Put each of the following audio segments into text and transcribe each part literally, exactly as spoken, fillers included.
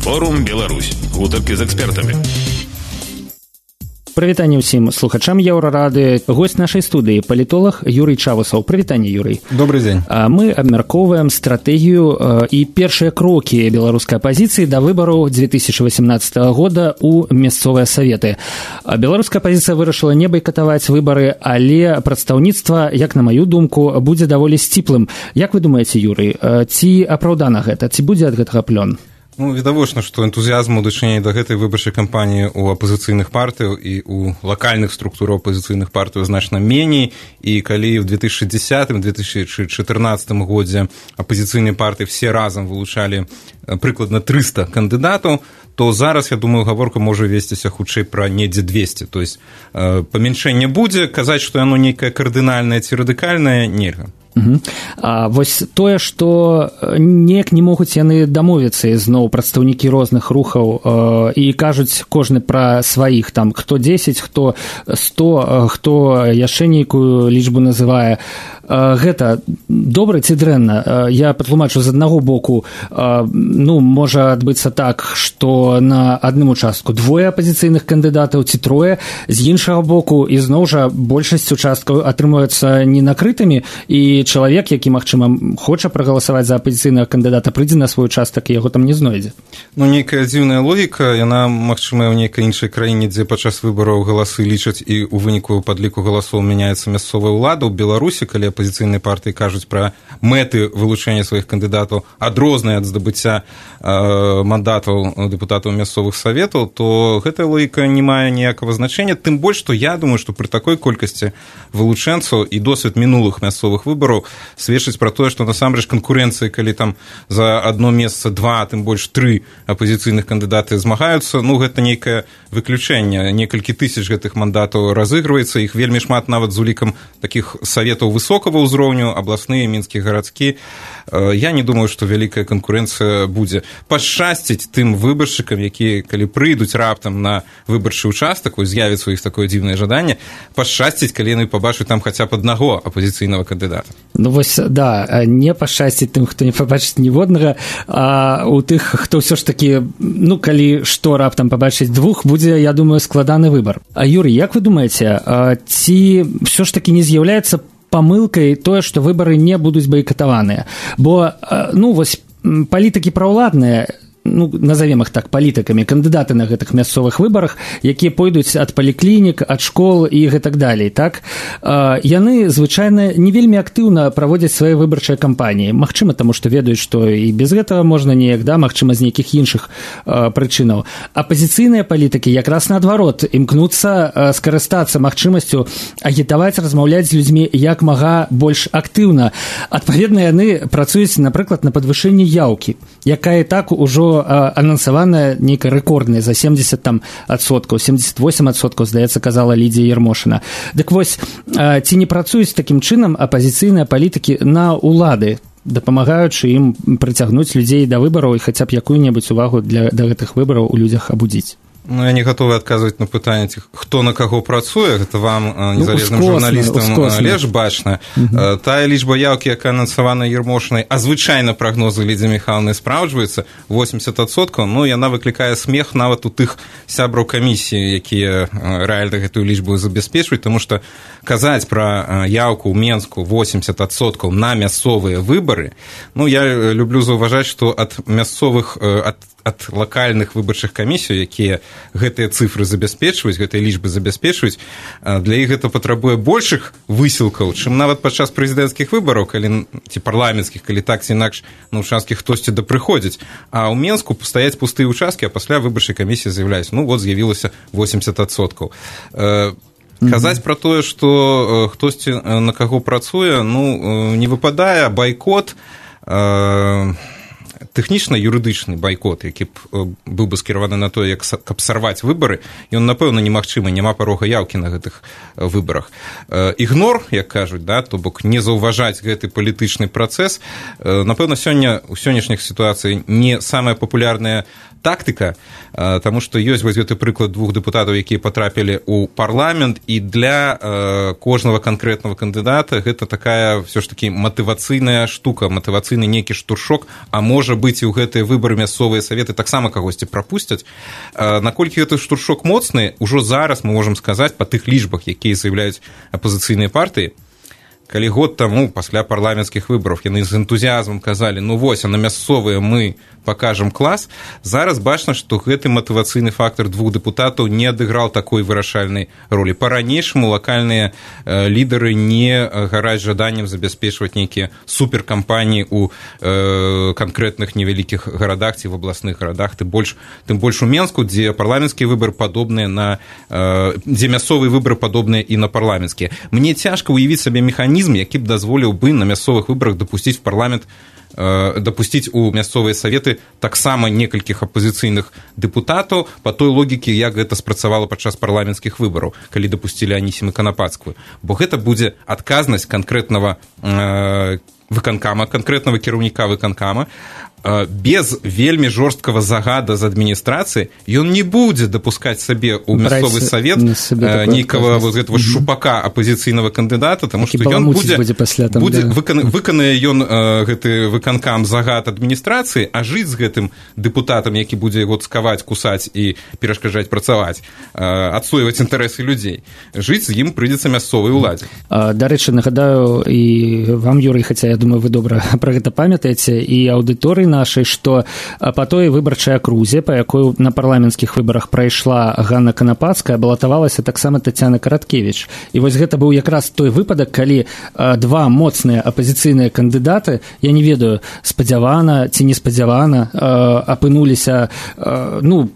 Форум Беларусь. Гутаркі з экспертамі. Прывітанне ўсім слухачам Еўрарады. Госць нашай студыі палітолог Юрый Чавусаў. Прывітанне, Юрый. Добрый дзень. Мы абмяркоўваем стратэгію і першыя крокі беларускай апазіцыі да выбараў две тысячи восемнадцатого года ў мясцовыя саветы. Беларуская апазіцыя вырашыла не байкатаваць выбары, але прадстаўніцтва, як на маю думку, будзе даволі сціплым. Як вы думаеце, Юрый, ці апраўдана гэта, ці будзе ад гэтага плён? Ну, відавочна, што энтузіязму ў дачыненні да гэтай выбарчай кампаніі ў апазіцыйных партыяў і ў лакальных структураў апазіцыйных партыяў значна меней, і калі ў две тысячи десятым — две тысячи чатырнаццатым годзе апазіцыйныя партыі все разам вылучалі прыкладна трыста кандыдатаў, то зараз, я думаю, гаворка можа весціся хутчэй пра недзе двести. То есть памяншэнне будзе, казаць, што яно нейкае кардынальнае ці радыкальнае, нельга. Угу. А вось тое, што неяк не могуць яны дамовіцца ізноў прадстаўнікі розных рухаў э, і кажуць кожны пра сваіх, там, хто дзесяць, хто сто, хто яшчэ нейкую лічбу называе. Э, гэта добра ці дрэнна? Э, я патлумачу, з аднаго боку, э, ну, можа адбыцца так, што на адным участку двое апазіцыйных кандыдатаў ці трое, з іншага боку, ізноў жа большасць участкаў атрымаюцца ненакрытымі, і чалавек, які, магчыма, хоча прагаласаваць за апазіцыйнага кандыдата, прыйдзе на свой участак, і яго там не знойдзе. Ну, нейкая дзіўная логіка, яна, магчыма, ў нейкай іншай краіне, дзе падчас выбараў галасы лічаць і ў выніку падліку галасоў мяняецца мясцовая ўлада. У Беларусі, калі апазіцыйныя партыі кажуць пра мэты вылучэння сваіх кандыдатаў, адрозныя ад здабыцця э, мандатаў дэпутатаў мясцовых саветаў, то гэтая логіка не мае ніякага значэння, тым больш, што я думаю, што пры такой колькасці вылучэнцаў і досвед мінулых мясцовых выбараў сведчыць пра тое, што насамрэч канкурэнцыі, калі там за одно месца два, а тым больш тры апазіцыйных кандыдаты змагаюцца, ну, гэта нейкае выключэнне. Некалькі тысяч гэтых мандатаў разыгрываецца, іх вельмі шмат нават з улікам такіх саветаў высокага ўзроўню, абласныя, мінскі, гарадскі. Я не думаю, што вялікая канкурэнцыя будзе. Пашчасціць тым выбаршчыкам, якія, калі прыйдуць раптам на выбарчы участак, з'явіцца у іх такое дзіўнае жаданне, пашчасціць, калі яны пабачаць там хаця б аднаго апазіцыйнага кандыдата. Ну вось, да, не пашчасціць тым, хто не пабачыць ніводнага, а у тых, хто ўсё ж такі, ну, калі што раптам пабачыць двух, будзе, я думаю, складаны выбар. А, Юрый, як вы думаеце, ці ўсё ж такі не з'яўляецца памылкай тое, што выбары не будуць байкатаваныя? Бо, ну, вось, палітыкі праўладныя, ну, назовем их так, палітыкамі, кандыдаты на гэтых мясцовых выбарах, якія пойдуць ад паліклінік, ад школ і гэтак далей, так? Яны, звычайна, не вельмі актыўна праводзяць свае выбарчыя кампаніі. Магчыма, таму што ведаюць, што і без гэтага можна неяк, да, магчыма, з нейкіх іншых прычынаў. Апазіцыйныя палітыкі якраз наадварот імкнуцца скарыстацца магчымасцю агітаваць, размаўляць з людзьмі як мага больш актыўна. Адпаведна, яны працуюць, напрыклад, на падвышэнні яўкі, якая і так ужо анансаваная нейкая рэкордная за семьдесят адсоткаў, семьдесят восемь адсоткаў, здаецца, казала Лідія Ярмошына. Дык вось, ці не працуюць такім чынам апазіцыйныя палітыкі на ўлады, дапамагаючы ім прыцягнуць людзей да выбараў і хаця б якую-небудзь увагу для, да гэтых выбараў у людзях абудзіць? Ну, я не гатовы адказваць на пытанне, хто на каго працуе, гэта вам, незалежным ну, журналістам, лепш бачна. Uh-huh. Тая лічба яўкі, якая анансавана Ярмошынай, а звычайна прагнозы Лідзі Міхайлаўны спраўджваюцца, восемьдесят адсоткаў, ну, яна выклікае смех нават у тых сябраў камісіі, якія рэальна гэтую лічбу забяспечваюць, таму што казаць пра яўку ў Менску восемьдесят адсоткаў на мясцовыя выбары, ну, я люблю заўважаць, што ад мясцовых, ад ад лакальных выбарчых камісій, якія гэтыя цифры забяспечваюць, гэтыя лічбы забяспечваюць, для іх гэта патрабуе большых высілкаў, чым нават падчас прэзідэнцкіх выбараў, калі, ці парламенцкіх, калі так ці інакш на ўчасткі хтосьці да прыходзіць. А ў Менску стаяць пустыя ўчасткі, а пасля выбарчай камісіі з'яўляецца, ну, вот з'явілася восемьдесят адсоткаў. Казаць пра тое, што хтосьці на каго працуе, ну, не выпадае. Байкот, тэхнічна-юрыдычны байкот, які б быў бы скіраваны на тое, як каб сарваць выбары, ён, напэўна, немагчымы, няма парога яўкі на гэтых выбарах. Ігнор, як кажуць, да, то бок не заўважаць гэты палітычны працэс, напэўна, сёння у сённяшніх сітуацыі не самая папулярная тактыка, таму што ёсць вось гэты прыклад двух дэпутатаў, якія патрапілі ў парламент, і для кожнага канкрэтнага кандыдата гэта такая ўсё ж такі матывацыйная штука, матывацыйны нейкі штуршок, а можа можа быць, і ў гэтыя выбары мясцовыя саветы таксама кагосьці прапусцяць. Наколькі гэты штуршок моцны, ужо зараз мы можам сказаць па тых лічбах, якія заяўляюць апазіцыйныя партыі, калі год таму пасля парламенцкіх выбараў яны з энтузіазмам казалі, ну вось, а на мясцовыя мы пакажам клас, зараз бачна, што гэты матывацыйны фактар двух дэпутатаў не адыграў такой вырашальнай ролі. Па-ранейшаму лакальныя э, лідары не гараць жаданнем забяспечваць нейкія суперкампаніі ў э, канкрэтных невялікіх гарадах ці в абласных гарадах, тым больш, тым больш у Менску, дзе парламенцкія выбары падобныя на э, дзе мясцовыя выбары падобныя і на парламенцкія. Мне цяжка ўявіць сабе механізм, які б дазволіў бы на мясцовых выбарах дапусціць в парламент дапусціць у мясцовыя саветы таксама некалькіх апазіцыйных дэпутатаў па той логіке, як гэта спрацавала падчас парламенцкіх выбараў, калі дапусцілі Анісіму Канапацкую. Бо гэта будзе адказнасць канкрэтнага э, выканкама, канкрэтнага кіраўніка выканкама. Без вельмі жорсткага загада з адміністрацыі ён не будзе дапускаць сабе ў мясцовы савет нейкага вот гэтага шупака апазіцыйнага кандыдата, таму што ён будзе, будзе, будзе да. выкан, выканае ён гэты выканкам загад адміністрацыі, а жыць з гэтым дэпутатам, які будзе яго цкаваць, кусаць і перашкаджаць працаваць, адсойваць інтарэсы людзей, жыць з ім прыйдзецца мясцовай уладзе. Дарэчы, нагадаю і вам, Юрый, хаця я думаю, вы добра пра гэта памятаеце, і аўдыторыі нашай, што па той выбарчай акрузе, па якой на парламенцкіх выбарах прайшла Ганна Канапацкая, балатавалася таксама Тацяна Караткевіч. І вось гэта быў якраз той выпадак, калі два моцныя апазіцыйныя кандыдаты, я не ведаю, спадзявана ці неспадзявана, апынуліся, ну,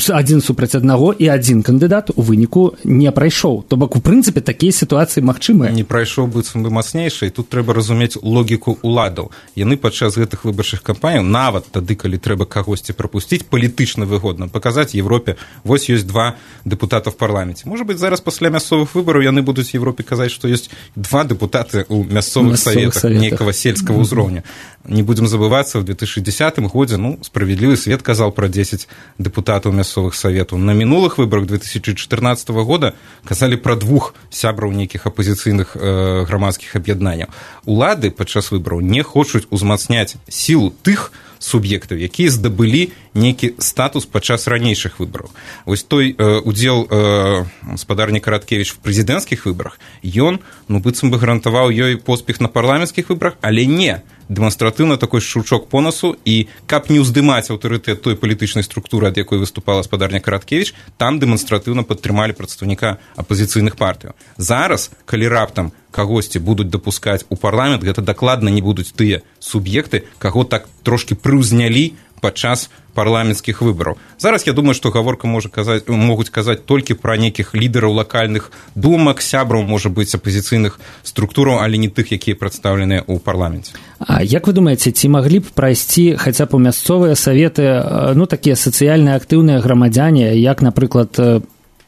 адзін супраць аднаго, і адзін кандыдат у выніку не прайшоў. То бок, у прынцыпе, такія сітуацыі магчымыя. Не прайшоў быццам бы мацнейшы, і тут трэба разумець логіку уладаў. Яны падчас гэтых выбарчых кампаній, нават тады, калі трэба кагосьці прапусціць, палітычна выгодна паказаць Европе, вось ёсць два дэпутата в парламенце. Можа быць, зараз пасля мясцовых выбараў яны будуць Европе казаць, што ёсць два дэпутаты ў мясцовых саветах, саветах нейкага сельскага ўзроўня. Не будзем забывацца, в две тысячи десятым годзе, ну, справядлівы свет казаў пра дзесяць дэпутатаў мясцовых саветаў. На мінулых выбарах две тысячи чатырнаццатага года казалі пра двух сябраў нейкіх апазіцыйных э, грамадскіх аб'яднанняў. Улады падчас выбараў не хочуць узмацняць сілу тых суб'ектаў, якія здабылі нейкі статус падчас ранейшых выбараў. Вось той э, удзел э, спадарні Караткевіч в прэзідэнцкіх выбарах, ён, ну, быццам бы гарантаваў ёй поспех на парламенцкіх выбарах, але не дэманстратыўна такой шчурчок по носу, і каб не ўздымаць аўтарытэт той палітычнай структуры, ад якой выступала спадарня Караткевіч, там дэманстратыўна падтрымалі прадстаўніка апазіцыйных партыяў. Зараз, калі раптам кагосьці будуць дапускаць у парламент, гэта дакладна не будуць тыя суб'екты, каго так трошкі прыўзнялі падчас парламенцкіх выбараў. Зараз я думаю, што гаворка можа казаць, могуць казаць толькі пра нейкіх лідараў лакальных думак, сябраў, можа быць, апазіцыйных структураў, але не тых, якія прадстаўленыя ў парламенце. А як вы думаеце, ці маглі б прайсці хаця б у мясцовыя саветы, ну, такія сацыяльна актыўныя грамадзяне, як, напрыклад,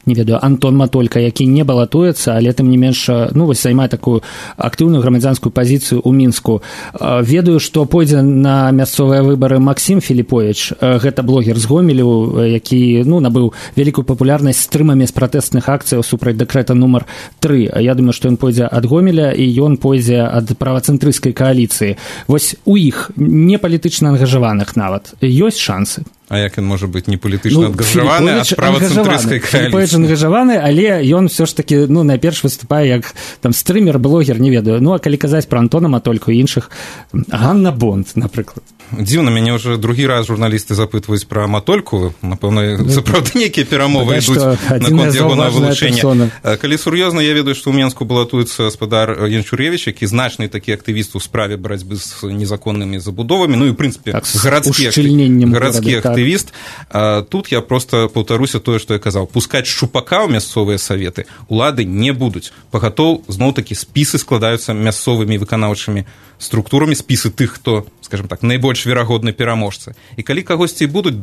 не ведаю, Антон Матолька, які не балатуецца, але тым не менш, ну, вось займае такую актыўную грамадзянскую пазіцыю ў Мінску. Ведаю, што пойдзе на мясцовыя выбары Максім Філіповіч, гэта блогер з Гомелю, які, ну, набыў вялікую папулярнасць стрымамі з пратэстных акцыяў супраць дэкрэта нумар тры. Я думаю, што ён пойдзе ад Гомеля, і ён пойдзе ад правацэнтрысцкай кааліцыі. Вось у іх, не палітычна ангажаваных нават, ёсць шансы? А як ён можа быць не палітычна ангажаваны, а правацэнтрысцкай кааліцыі? Філіповіч ангажаваны, але ён все ж таки, ну, найперш выступае як там стрымер, блогер, не ведаю. Ну, а калі казаць пра Антона Матольку і іншых, Ганна Бонд, напрыклад. Дзіўна, мяне ўжо другі раз журналісты запытваюць пра Матольку, напэўна, сапраўды нейкія перамовы ідуць наконт яго на вылучэнне. Калі сур'ёзна, я ведаю, што ў Менску балатуецца спадар Янчуревіч, які значны такі актывіст у справе барацьбы з незаконнымі забудовамі, ну і, ў прынцыпе, гарадскі актывіст. Тут я проста паўтаруся тое, што я казаў. Пускаць шчупака ў мясцовыя саветы улады не будуць. Пагатоў, зноў-такі, спісы складаюцца мясцовымі выканаўчымі структурамі, спісы тых, хто, скажем так, найбольш верагодны пераможцы. І калі кагосьці будуць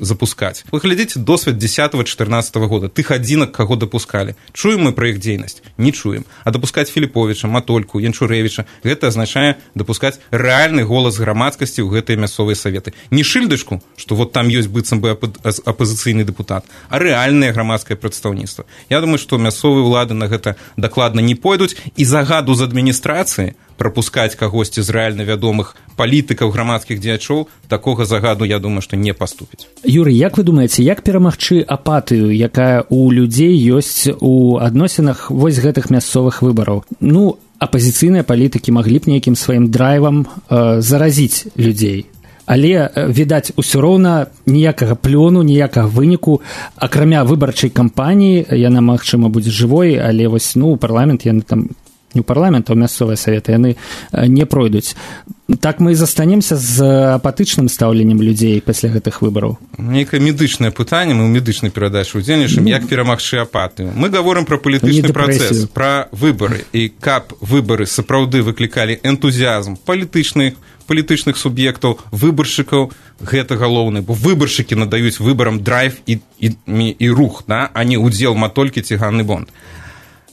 запускаць, вы глядзіце досвед дзесятага-чатырнаццатага года, тых адзінак, каго дапускалі. Чуем мы пра іх дзейнасць? Не чуем. А дапускаць Філіповіча, Матольку, Янчурэвіча, гэта азначае дапускаць рэальны голас грамадскасці ў гэтыя мясцовыя саветы. Не шыльдачку, што вот там ёсць быццам бы апазіцыйны дэпутат, а рэальнае грамадскае прадстаўніцтва. Я думаю, што мясцовыя ўлады на гэта дакладна не пойдуць, і загаду з адміністрацыі прапускаць кагосьці з рэальна вядомых палітыкаў, грамадскіх дзеячоў, такога загаду, я думаю, што не паступіць. Юрый, як вы думаеце, як перамагчы апатыю, якая у людзей ёсць у адносінах вось гэтых мясцовых выбараў? Ну, апазіцыйныя палітыкі маглі б нейкім сваім драйвам э, заразіць людзей. Але, відаць, усё роўна ніякага плёну, ніякага выніку, акрамя выбарчай кампаніі, яна, магчыма, будзе жывой, але вось, ну, парламент, яны там, не ў парламент, а ў мясцовыя саветы, яны не пройдуць. Так мы і застанемся з апатычным стаўленнем людзей пасля гэтых выбараў. Нейкае медычнае пытанне, мы ў медычнай перадачы удзельнічаем, ну, як перамагчы апатыю. Мы гаворым пра палітычны працэс, пра выбары, і каб выбары сапраўды выклікалі энтузіазм палітычных, палітычных суб'ектаў, выбаршчыкаў, гэта галоўнае, бо выбаршчыкі надаюць выбарам драйв і, і, і рух, да? А не удзел матолькі ці ганны бонд.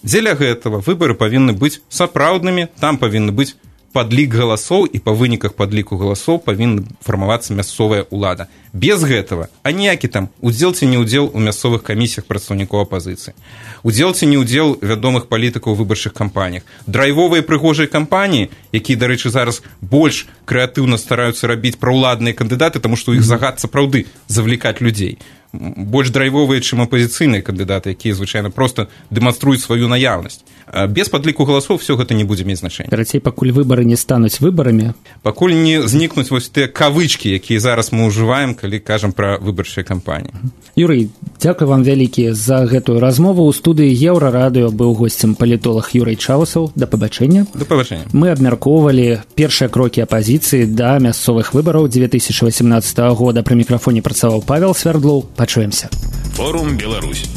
Дзеля гэтага выбары павінны быць сапраўднымі, там павінны быць падлік галасоў, і па выніках падліку галасоў павінна фармавацца мясцовая ўлада. Без гэтага, а ніякі там удзел ці не ўдзел у мясцовых камісіях прадстаўнікоў апазіцыі. Удзел ці не ўдзел вядомых палітыкаў у выбарчых кампаніях. Драйвовыя прыгожыя кампаніі, якія, дарэчы, зараз больш крэатыўна стараюцца рабіць праўладныя кандыдаты, таму што іх загад сапраўды завлікаць людзей. Больш драйвовыя, чым апазіцыйныя кандыдаты, якія, звычайна, проста дэманструюць сваю наяўнасць. Без падліку галасоў все гэта не будзе мець значэння. Карацей, пакуль выбары не стануць выбарамі. Пакуль не знікнуць вось тыя кавычкі, якія зараз мы ўжываем, калі кажам пра выбарчыя кампаніі. Юрый, дзякуй вам вялікі за гэтую размову. У студыі Еўрарадыё быў госцем палітолог Юрый Чаусаў. Да пабачэння. Да пабачэння. Мы абмяркоўвалі першыя крокі апазіцыі да мясцовых выбараў две тысячи восемнадцатого года. Пры мікрафоне працаваў Павел Свярдлоў. Пачуемся. Форум Беларусь.